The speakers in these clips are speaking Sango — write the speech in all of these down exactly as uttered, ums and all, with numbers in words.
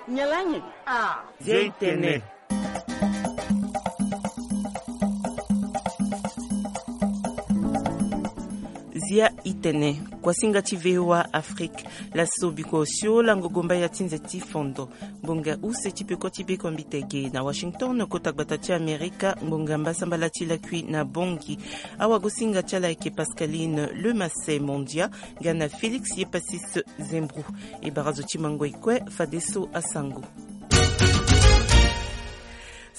Nyen lani? Ah. Zia i tene. Zia i tene. Kuasinga ti V O A Afrique. Laso biko osio lango gomba ya ti nze ti fondo. Ngbonga use ti peko ti beko mbitege na Washington, kota gbata ti Amerika, ngbonga mbasambala ti lakui na Bangui. Awagosinga ti ala ayeke Pascaline Lemasse Mondia, nga na Félix Yepasis Zembrou. E bara zo ti mango e kue fadeso asango.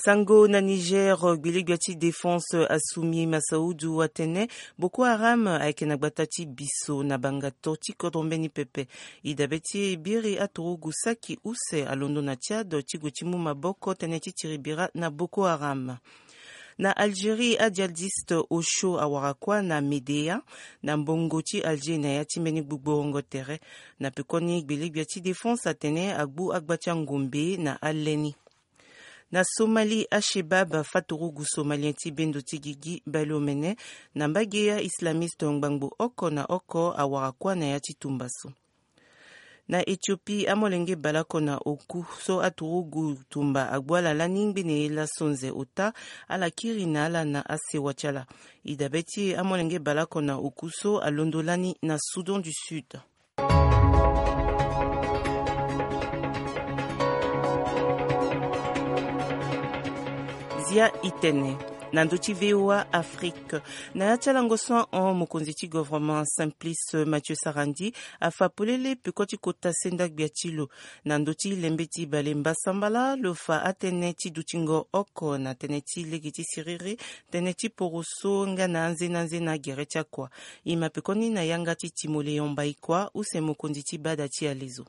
Sango na Niger, gbelegbia ti défense Assumi Massaoudou atene Boko Haram ayeke na gbata ti biso na bangato ti kodro mbeni pepe. E dabe ti e biri aturugu saki use alondo na Tchad ti gue ti mu maboko tënë ti tiribira na Boko Haram. Na Algérie, ajihadiste osio awara kuâ na Médéa, na mbongo ti Alger na ya ti mbeni gbugborongo tere. Na pekoni gbelegbia ti défense atene agbu agba ti angombe na aleni. Na Somalie, Al-Shebab, faturugu somalien ti bendo ti gigi baleomene na mbage ya islamiste ngbangbo oko na oko awara kuâ na ya ti tumba so. Na Éthiopie, amolenge baleoko na oku so aturugu tumba agbu ala lani ngbene ye laso nze ota, ala kiri na ala na asewa ti ala. E dabe ti e amolenge baleoko na oku so alondo lani na Soudan du Sud. Zia i tene na ndö ti V O A Afrique. Na ya ti alango so ahon, mokonzi ti gouvernement Simplice Mathieu Sarandji afa polele peko ti kota senda gbia ti lo. Na ndö ti lembe ti bale mbasambala, lo fa atënë ti dutingo oko na tënë ti lege ti siriri, tënë ti poroso nga na anzena anzena gere ti akua. E ma pekoni na yanga ti Timoléon Baïkoua, use mokonzi ti bada ti alezo.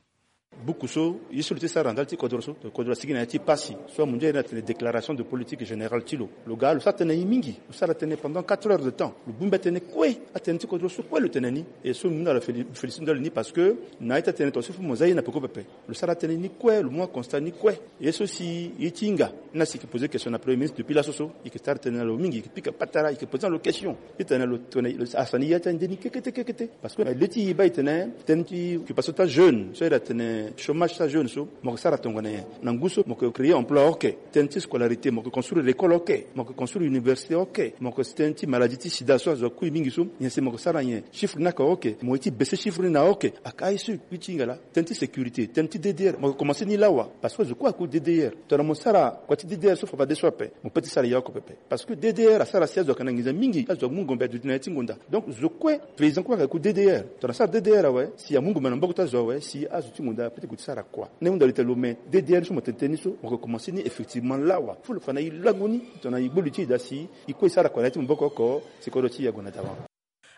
Buku so ye so lo ti sara ndali ti kodro so, kodro asigi na ya ti pasi so amundia iri na tene déclaration de politique générale ti lo. Lo ga lo sara tënë ye mingi, lo sara tënë pendant quatre heures de temps, lo bongbi atënë kue, atënë ti kodro so kue lo tene ni. E so mbi mu na lo féli- félicité ndali ni parce que na ye ti atënë tongaso fo mo za ye na peko pepe. Lo sara tënë ni kue, lo mu aconstat ni kue. Ye so si ye ti hinga ni asi yeke poser question na premier ministre depuis laso so, e yeke sara tënë na lo mingi, e yeke pika patara, e yeke poser na lo question. Titene lo tene lo asani ya ti ande ni kekete kekete. Parce que na le ti e baa e tene tënë ti occupation ti ajeune so iri atene chômage ti ajeune so, mo yeke sara tongana nyen? Na ngu so mo yeke créer emploi oke. Tënë ti scolarité, mo yeke construire l'école oke, mo yeke construire université oke, mo yeke tënë ti maladie ti sida so azo akui mingi so, nyen si mo yeke sara nyen? Chiffre ni aka oke, mo ye ti baisser chiffre ni na oke. Aka ye so e kui ti hinga laa. Tënë ti sécurité, tënë ti D D R, mo yeke commencer ni lawa. Parce que zo kue akui D D R. Tongana mo sara kua ti D D R so fafadeso ape, mo peut ti sara ya oko pepe. Parce que D D R asara si azo ayeke na nginza mingi, azo amu ngombe aduti na ya ti ngonda. Donc zo kue, paysan kue ayeke ku D D R. Tongana asara D D R awe, si amu ngombe na maboko ti azo awe, si azo ti ngonda apeut ti gue ti sara kua. Ni ahunda lo tene lo me D D R so mo tene tënë ni so, mo yeke commencer ni effectivement lawa. Fo lo fa na e lango ni, tongana e gbu li ti e daa si e kue e sara kua na ya ti maboko oko, si kodro ti e ague na dawa.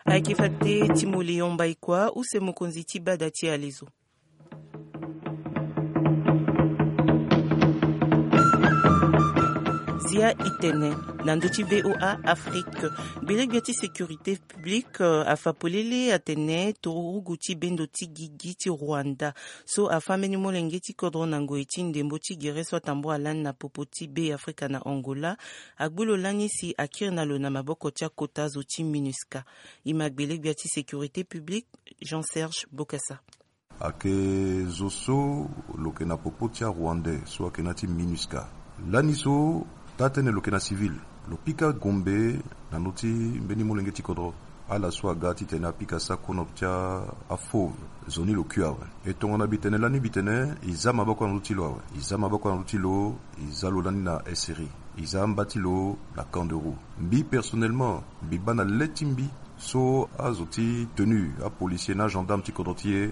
Ayeke fade Timoléon Baïkoua, use mokonzi ti bada ti alezo. Zia i tene na ndö ti V O A Afrique. Gbelegbia ti sécurité publique, euh, afa polele atene turugu ti bendo ti gigi ti Rwanda so afa mbeni molenge ti kodro na ngoi ti ndembo ti gere so atambula lani na popo ti Be Afrika na Angola, agbu lo lani si akiri na lo na maboko ti akota zo ti MINUSCA. E ma gbelegbia ti sécurité publique, Jean Serge Bokassa. Ayeke zo so lo yeke na popo ti arwandais so ayeke na ya ti MINUSCA. Lani so taa-tënë lo yeke na civil. Lo pika gombe na ndö ti mbeni molenge ti kodro, ala so aga titene apika sakono ti afauve. Zo ni lo kui awe. E tongana mbi tene lani mbi tene e za maboko na ndö ti lo awe. E za maboko na ndö ti lo, e za lo lani na SRI. E za amba ti lo na Camp de Roux. Mbi personnellement mbi baa na le ti mbi so azo ti tenue, apolisier na agendarme ti kodro ti e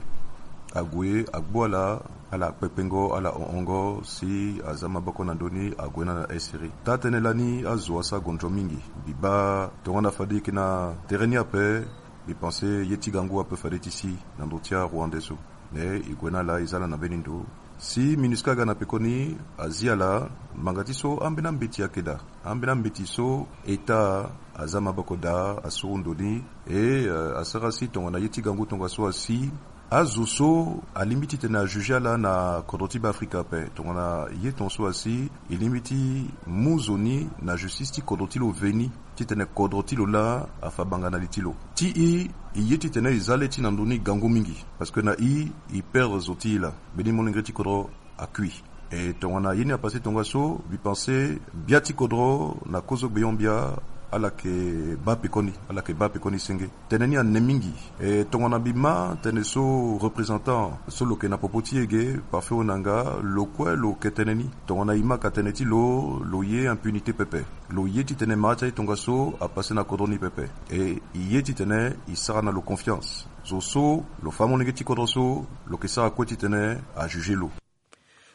ague agbu ala, ala kpekpengo, ala honhongo si aza maboko na ndö ni, ague na na SRI. Taa-tënë lani azo asara gondro mingi. Mbi baa tongana fade e yeke na tere ni ape, mbi pense ye ti gango ape fade ti si na ndö ti arwandais so. Mais e gue na ala, e za ala na mbeni ndo. Si MINUSCA aga na pekoni, azi ala, ngbanga ti so ambeni ambeti ayeke daa. Ambeni ambeti so État aza maboko daa, asuru ndo ni. E, euh, asara si tongana ye ti gango tongaso asi, azo so alingbi titene ajuge ala na kodro ti Be Afrika ape. Tongana ye tongaso asi, e lingbi ti mu zo ni na justice ti kodro ti lo veni, titene kodro ti lo laa afa banga na li ti lo. Ti e, e ye titene e za le ti e na ndö ni gango mingi. Parce que na e, e perdre zo ti e laa. Mbeni molenge ti kodro akui. E tongana ye ni apase tongaso, mbi pense bia ti kodro na kozo gbeon bia, ala yeke baa pekoni, ala yeke baa pekoni senge. Tënë ni ane mingi. E tongana mbi ma tënë so représentant so lo yeke na popo ti e ge, parfait, onanga lo kue lo yeke tënë ni. Tongana e ma ka tënë ti lo, lo ye impunité pepe. Lo ye titene mara ti aye tongaso apase na kodro ni pepe. E e ye titene e sara na lo confiance. Zo so lo fa amolenge ti kodro so, lo yeke sara kue titene ajuge lo.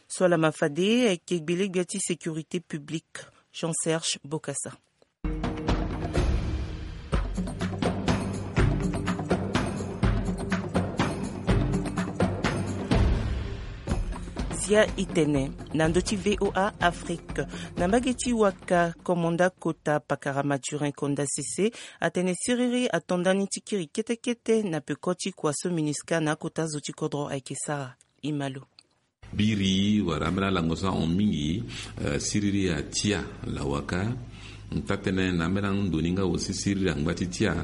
So ala ma fade ayeke gbelegbia ti sécurité publique, Jean Serge Bokassa. Zia itene na ndö ti VOA Afrique, na mbage ti waka, komanda kota pakara Mathurin Konda Sese atene siriri ato ndani ti kiri kete kete na peko ti kua so MINUSCA na akota zo ti kodro ayeke sara. Imalo. Biri wala ambeni alango so ahon mingi, eh, siriri atia lawaka. Taa-tënë na ambeni ando ni nga aussi siriri angba ti tia.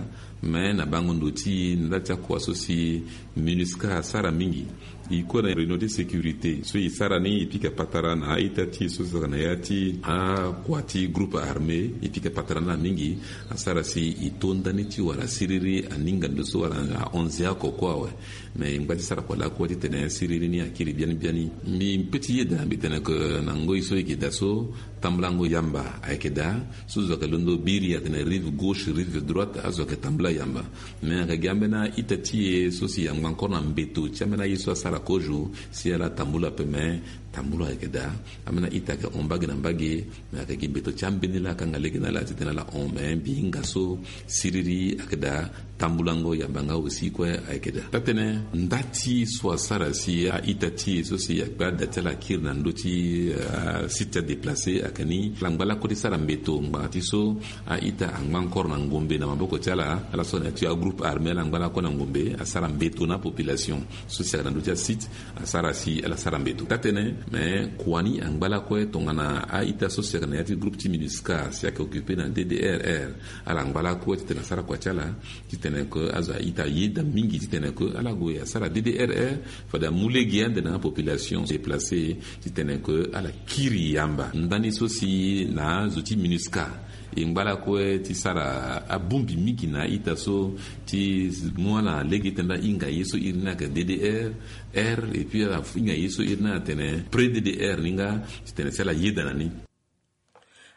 Me na bango ndo ti e na nda ti akua so si MINUSCA asara mingi. E kue na réunion ti sécurité so e sara ni, e pika patara na a-ita ti e so saka na ya ti akua ti groupe armé, e pika patara na ala mingi. Asara si e to ndani ti wala siriri aninga ndo so wala ahon nze oko kue awe. Me e ngba ti sara kua lakue titene siriri ni akiri biani biani. Mbi peut ti yeda mbi tene ke na ngoi so e yeke daa so, tambulango yamba ayeke daa. So zo ayeke londo biri atene rive gauche, rive droite, azo ayeke tambula yamba. Me ayeke gi ambeni a-ita ti e so si angba encore na mbeto ti ambeni aye so asara kozo si ala tambula ape, me tambula ayeke daa. Ambeni a-ita ayeke hon mbage na mbage. Me ayeke gi mbeto ti ambeni laa akanga lege na ala titene ala hon, me mbi hinga so siriri ayeke daa. Tambulango yamba nga aussi kue ayeke daa. Taa-tënë, nda ti so asara si a-ita ti e so si akpe ada ti ala akiri na ndö ti, eh, site ti adéplacé ayeke ni. Ala ngba lakue ti sara mbeto ngbanga ti so a-ita angba encore na ngombe na maboko ti ala. Ala so na ya ti agroupe armé ala ngba lakue na ngombe asara mbeto na apopulation so si ayeke na ndö ti asite. Asara si ala sara mbeto. Taa-tënë, me kua ni angba lakue tongana a-ita so si ayeke na ya ti groupe ti MINUSCA si ayeke occupé na D D R R. Ala ngba lakue titene asara kua ti ala, titene ke azo a-ita ayeda mingi titene ke ala gue asara D D R R, fade amu lege ande na apopulation déplacé, titene ke ala kiri yamba. Ndani so si na azo ti MINUSCA e ngba lakue ti sara abongbi mingi na a-ita so ti mu ala lege titene ala hinga ye so iri ni ayeke D D R R, et puis ala hinga ye so iri ni atene pré-D D R ni nga, titene si ala yeda na ni.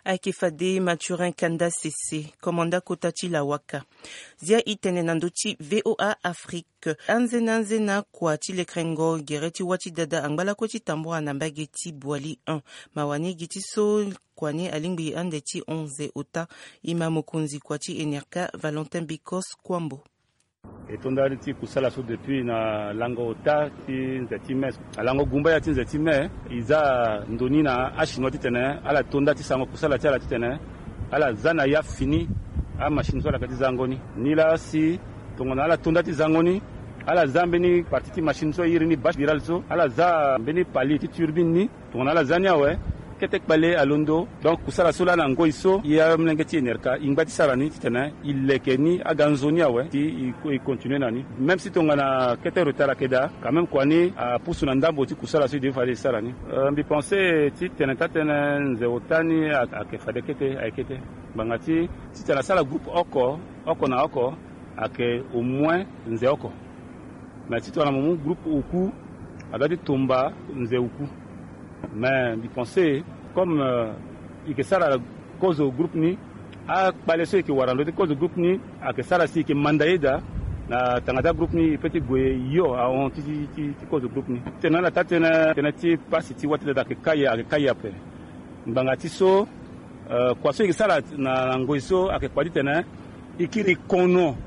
Ayeke fade Mathurin Kanda Sese, komanda kota ti lawaka. Zia itene na ndö ti VOA Afrique. Anzena anzena kua ti lekerengo gere ti wâ ti dada angba lakue ti tambura na mbage ti Boali un. Mawa ni gi ti so kua ni alingbi ande ti hon nze ota. E ma mokonzi kua ti enerka Valentin Bikos Kwambo. E to nda ti kusala so depuis na lango ota ti nze ti mai. Na lango gumba ya ti nze ti mai, e za ndo ni na achinois titene ala to nda ti sarango kusala ti ala titene ala za na ya fini amachine so ala yeke ti zango ni. Nilaa si tongana ala to nda ti zango ni, ala za mbeni partie ti machine so e iri ni bâche virale so, ala za mbeni pali ti turbine ni. Tongana ala za ni awe, kete kpale alondo. Donc kusala so laa na ngoi so, e amolenge ti enerka e ngba ti sara ni titene e leke ni aga nzoni awe si e, e continue na ni. Même si tongana kete retard ayeke daa, quand même kua ni apusu na ndambo ti kusala so e devi fade e sara ni. Euh, mbi pense titene taa-tënë nze ota ni a, ayeke fade kete, ayeke kete. Ngbanga ti, titene asara groupe oko, oko na oko, ayeke au moins nze oko. Mais titene mo mu groupe oku, adoit ti tomba nze oku. Mais mbi pense comme, euh, e yeke sara kozo groupe ni, akpale so e yeke wara na ndö ti kozo groupe ni ayeke sara si e yeke manda ye daa na tanga ti agroupe ni, e peut ti gue yo ahon ti, ti, ti, ti kozo groupe ni. Tene na ala taa-tënë, tënë ti pasi ti wâ ti dada ayeke kai, ayeke kai ape. Ngbanga ti so, euh, kua so e yeke sara na, na ngoi so ayeke kpa titene e kiri kono,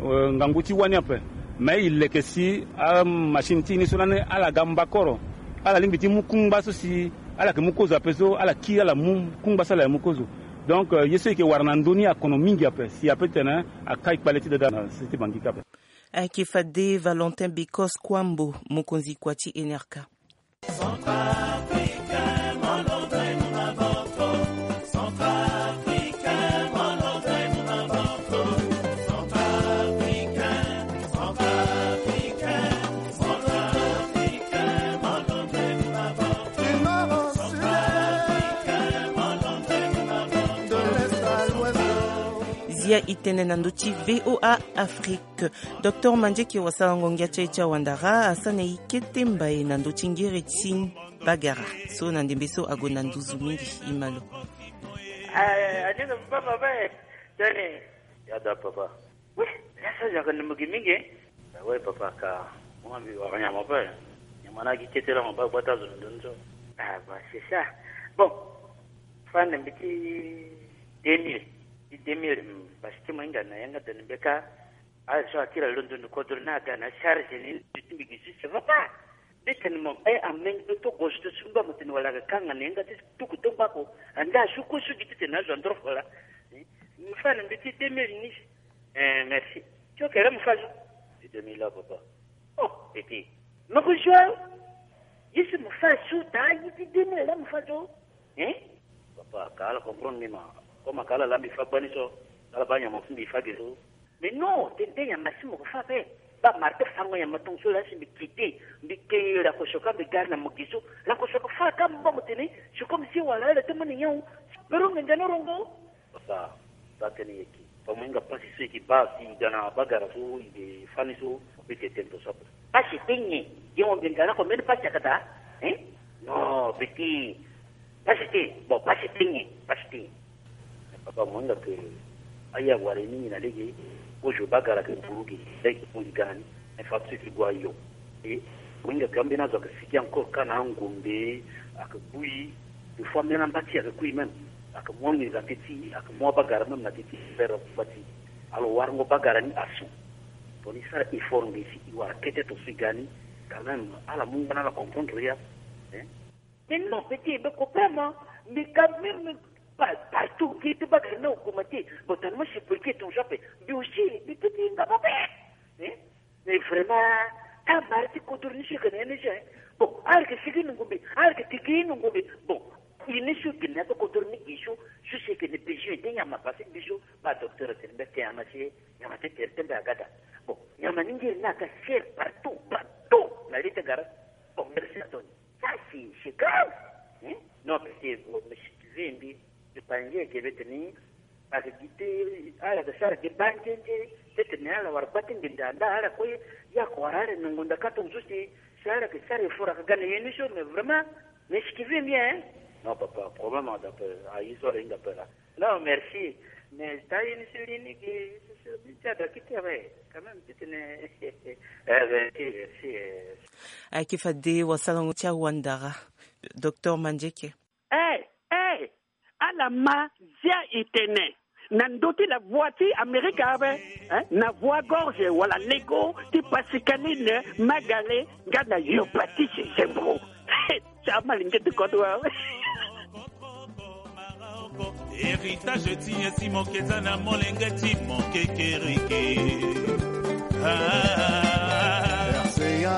euh, ngangu ti wâ ni ape. Mais e leke si amachine ti e ni so lani ala ga mbakoro, ala lingbi ti mu kungba so si ala yeke mu kozo ape so, ala kiri ala mu kungba so ala yeke mu kozo. Donc, euh, ye so e yeke wara na ndö ni akono mingi ape, si ape titene akai kpale ti dada na se ti Bangui ka ape. Ayeke fade Valentin Bikos Kwambo, mokonzi kua ti enerka. Ya e tene na ndö ti VOA Afrique. Docteur Mandieke, wasalango ngia ti aye ti awandara, asara na e kete mbai na ndö ti ngere ti bagara so na ndembe so ague na nduzu mingi. E ma lo. Ah, a dinga papa, papa e. Tene. Ya da papa. Oui, ya so yaka na mugi mingi. Ah ouais papa, ka mo mbi wara nyama pe. Nyama na gi kete la mo ba gbata zo ndo nzo. Ah bah, c'est ça. Bon, fa na mbi ti deux mille, ti deux mille, mm, parce que mo hinga na yanga da ni mbeka. Ah, so akira londo ni kodro na aga na charge ni, ti mbi gi si, ça va pas. Mbi tene mo, eh, amenge to gauche to sumba mo tene wala ga kanga na yanga ti tuku to mbako. Anda su ko su gi ti tene azo andro fola. Eh, mo fa na mbi ti deux mille ni. Eh, merci. Ti okere mo fa zo? Ti deux mille la papa. Oh, petit. Mo ko zo? Ye si mo fa zo ta, ye ti deux mille la mo fa zo? Hein? Papa, ka ala comprendre ni ma. Comme ka ala la mbi fa gbani so, ala ba nyama fu mbi fa ge so. Mais non, tene te nyama si mo ko fa pe. Ba marto fango nyama tongo so la si mbi kite, mbi ke la ko soka mbi gari na mo gi so. La ko soka fa ka mo ba mo tene, c'est comme si wala ala te mo ni nyawu. Pero nge ndeno rongo. Papa, ba tene yeke. Fa mo hinga pasi so e ke ba si e ga na bagara so e ke fani so, mo pe tene tene to so ape. Pasi te nyen? Ye mo mbi nga na ko mbeni pasi akata? Hein? Non, petit. Pasi te. Bon, pasi te nyen? Pasi te nyen? Papa, mo hinga ke aye awara e mingi na lege. Kozo bagara ke buru ge, lege buru ge gani. Infrastructure ti gue ayo. E mo hinga ke ambeni azo ake sigi encore ka na angombe, ake bui. Des fois même na mba ti ake kui même. Ake mu anginza te ti, ake mu abagara même na te ti faire mba ti. Alors warango bagara ni asu. Bon, e sara effort nge si e wara kete to so e ga ni. Quand même ala mu nga na ala comprendre ya. Hein? Mais non, petit, mais comprends, mais quand même, pas partout, qui te bagara na augmenter. Bon, tellement c'est pour que ton job, mais aussi, mais petit, il va pas faire. Hein? Mais vraiment, ta mara ti kodro ni si ka na ye ni si, hein. Bon, ala yeke sigi nungu mbi, ala yeke tigi nungu mbi. Bon, ye ni so gi na ya ti kodro ni gi so, so si yeke na besoin de nyama parce que mbi so, ba docteur atene mbi ake nyama si, nyama ti tere ti mbi aga daa. Bon, nyama ni ngiri ni aga cher partout, partout na li ti gara. Bon, merci Anthony. Ça, c'est, c'est grave. Hein? Non, parce que, bon, mais si tu veux, mbi, je pense que, que, que, que, ake gi te, ala yeke sara gi banzenze, ti tene ala wara gba ti nginda nda ala kue, ye ake wara ala nongo nda ka tongo so si, si ala yeke sara effort ake ga na ye ni so, mais vraiment, mais si tu veux bien, hein? Non, papa, problème ada pe, a ye so ala hinga pe la. Non, merci. Mais ta ye ni so li ni gi, so, so, mbi ti ada kiti awe, quand même, ti tene, eh, merci, merci, eh. Ayeke fade wasalango ti awandara, Docteur Mandieke. Eh, eh, ala ma zia e tene na ndö ti la voix ti Amerika ape, eh, na voix gorge wala lego ti Pascaline Magale nga na Yobatisi Zembro. Ti amalenge ti kodro awe. Héritage ti ye ti mo keza na molenge ti mo kekereke. Ah. R C A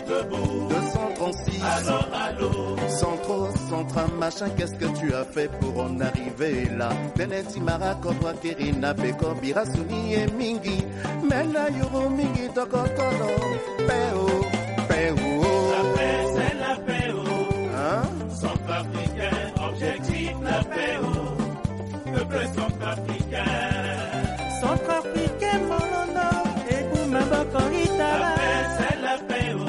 deux cent trente-six. Allô, allô. Centro, Centra, machin, qu'est-ce que tu as fait pour en arriver là? Tene ti mara kodro akiri na beko bira suni ye mingi. Me na yuru mingi tokotolo. Pe o, pe o. La paix, c'est la paix, oh. Hein? Centrafricain, objectif la paix, oh. Peuple centrafricain. Centrafricain, molondo, ebu maboko itala. La paix, c'est la paix, oh.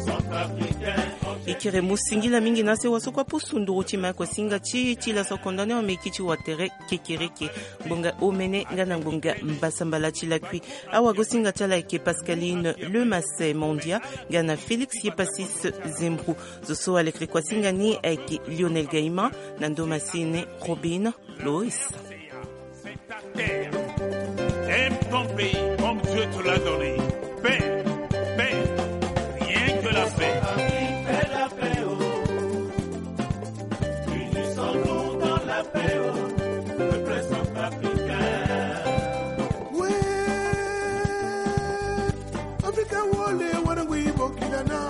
Centrafricain, objectif. E kiri mo singila mingi na sewa so kue apusu nduru ti ma kuasinga ti ti laso kondane ameki ti watere kekereke. Ngbonga omene nga na ngbonga mbasambala ti lakui. Awagosinga ti ala ayeke Pascaline Lemasse Mondia nga na Félix Yepasis Zembro. Zo so alekere kuasinga ni ayeke Lionel Gaïman na ndo masini Robin Lois. Aime ton pays comme Dieu te l'a donné. Paix, paix, rien que la paix. Fais la paix, oh. Unissons-nous dans la paix, oh. Peuple centrafricain. Oui. Afrika wole wana ngui bokilana.